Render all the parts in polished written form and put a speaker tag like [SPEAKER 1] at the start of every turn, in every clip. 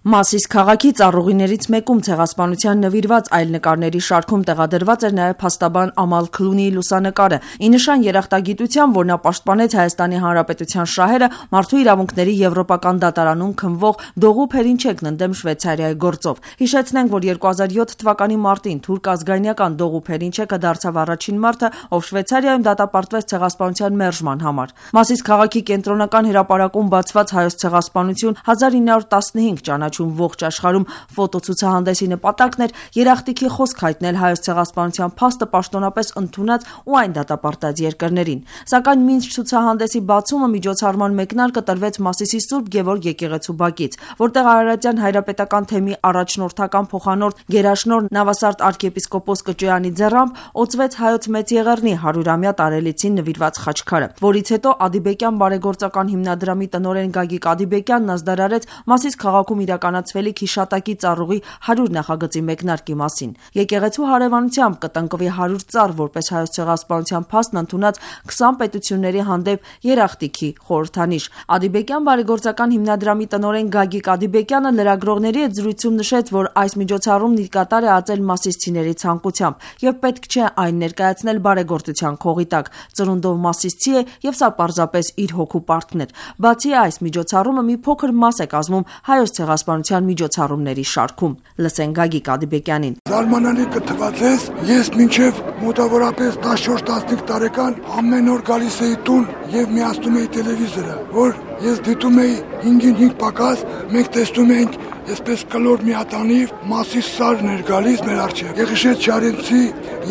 [SPEAKER 1] Մասիս քաղաքի ծառուղիներից մեկում ցեղասպանության նվիրված այլ նկարների շարքում տեղադրված էր նաև փաստաբան Ամալ Քլունիի լուսանկարը, ի նշան երախտագիտության, որ նա պաշտպանեց Հայաստանի Հանրապետության շահերը մարդու իրավունքների եվրոպական դատարանում քննվող Դողու Փերինչեկն ընդդեմ Շվեյցարիայի գործով։ Հիշեցնենք, որ 2007 թվականի մարտին թուրք ազգայնական Դողու Փերինչեկը դարձավ առաջին մարդը, ով Շվեյցարիայում դատապարտվեց ցեղասպանության մերժման համար։ Մասիս քաղաքի կենտրոնական հրապարակում բացված հայոց ցեղասպանություն 1915 ճանաչում ողջ աշխարհում ֆոտոցուցահանդեսի նպատակն էր երախտիքի խոսք հայտնել հայոց ցեղասպանության փաստը պաշտոնապես ընդունած ու այն դատապարտած երկրներին։ Սակայն մինչ ցուցահանդեսի բացումը միջոցառման մեկնարկը տրվեց Մասիսի Սուրբ Գևորգ եկեղեցու բակից, որտեղ Արարատյան հայրապետական թեմի առաջնորդական փոխանորդ Գերաշնորհ Նավասարդ arczepiskopos Կճոյանի ձեռամբ օծվեց հայոց մեծ եղեռնի 100-ամյա տարելիցին նվիրված խաչքարը, որից հետո Ադիբեկյան բարեգործական հիմնադրամի տնօրեն Գագիկ Ադիբեկյանն ազդարարեց Մասիս քաղաքում իրականացվելիք հիշատակի ծառուղի 100 նախագծի մեկնարկի մասին։ Եկեղեցու հարևանությամբ կտնկվի 100 ծառ, որպես հայոց ցեղասպանության փաստն ընդունած 20 պետությունների հանդեպ երախտիքի խորհրդանիշ։ Ադիբեկյան բարեգործական հիմնադրամի տնօրեն Գագիկ Ադիբեկյանը լրագրողների հետ զրույցում նշեց, որ այս միջոցառումն իր կատար է ածել մասիսցիների ցանկությամբ եւ պետք չէ այն ներկայացնել բարեգործության քողի տակ։ Ծնունդով մասիսցի է եւ սա պարզապես իր հոգու պարտքն էր։ Բացի այս, միջոցառումը մի փոքր մաս է կազմում հայոց ցեղասպանության միջոցառումների շարքում։ Լսենք Գագիկ Ադիբեկյանին։
[SPEAKER 2] Զարմանալի կթվացես, ես մինչև մոտավորապես 14-15 տարեկան ամեն օր գալիս էի տուն եւ միացնում էի տելևիզորը, որ ես դիտում էի 5-ին 5 պակաս, մենք տեսնում էինք այսպես կլոր մի հատանիվ Մասիս սարն էր գալիս մեր առջև։ Եղիշետ Շարենցի,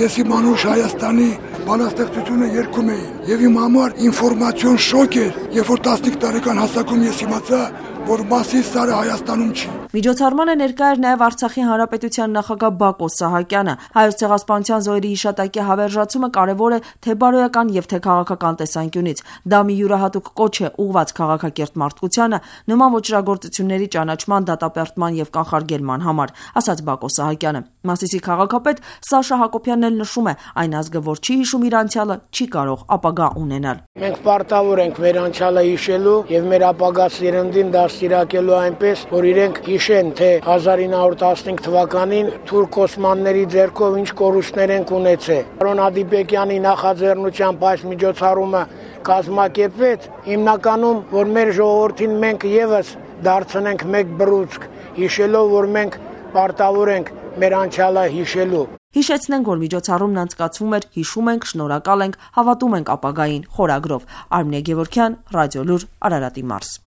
[SPEAKER 2] Եսի Մանուշ Հայաստանի բանաստեղծությունը երգում էին եւ իմ համար ինֆորմացիոն շոկ էր, երբ որ 15 տարեկան հասակում ես իմացա, որ Մասիս սարը Հայաստանում չի։
[SPEAKER 1] Միջոցառմանը ներկա էր նաև Արցախի Հանրապետության նախագահ Բակո Սահակյանը։ Հայոց ցեղասպանության զոհերի հիշատակի հավերժացումը կարևոր է թե բարոյական եւ թե քաղաքական տեսանկյունից։ Դա մի յուրահատուկ կոչ է ուղղված քաղաքակիրթ մարդկությանը նման ոճրագործությունների ճանաչման, դատապարտման եւ կանխարգելման համար, ասաց Բակո Սահակյանը։ Մասիսի քաղաքապետ Սաշա Հակոբյանն էլ նշում է, այն ազգը, որ չի հիշում իր անցյալը, չի կարող ապագա ունենալ։
[SPEAKER 3] Մենք պարտավոր ենք մեր անցյալը հիշելու եւ մեր ապագա սերնդին դաստիարակելու այնպես, որ իրենք հիշեն, թե 1915 թվականին թուրք օսմանների ձեռքով ինչ կորուստներ են ունեցել։ Պարոն Ադիբեկյանի նախաձեռնությամբ այս միջոցառումը կազմակերպվեց, հիմնականում, որ մեր ժողովրդին մենք եւս դարձնենք մեկ բռունցք, հիշելով, որ մենք պարտավոր ենք մեր անցյալը հիշելու։
[SPEAKER 1] Հիշեցնենք, որ միջոցառումն անցկացվում էր «Հիշում ենք, շնորհակալ ենք, հավատում ենք ապագային» խորագրով։ Արմինե Գևորգյան, Ռադիոլուր, Արարատի մարզ։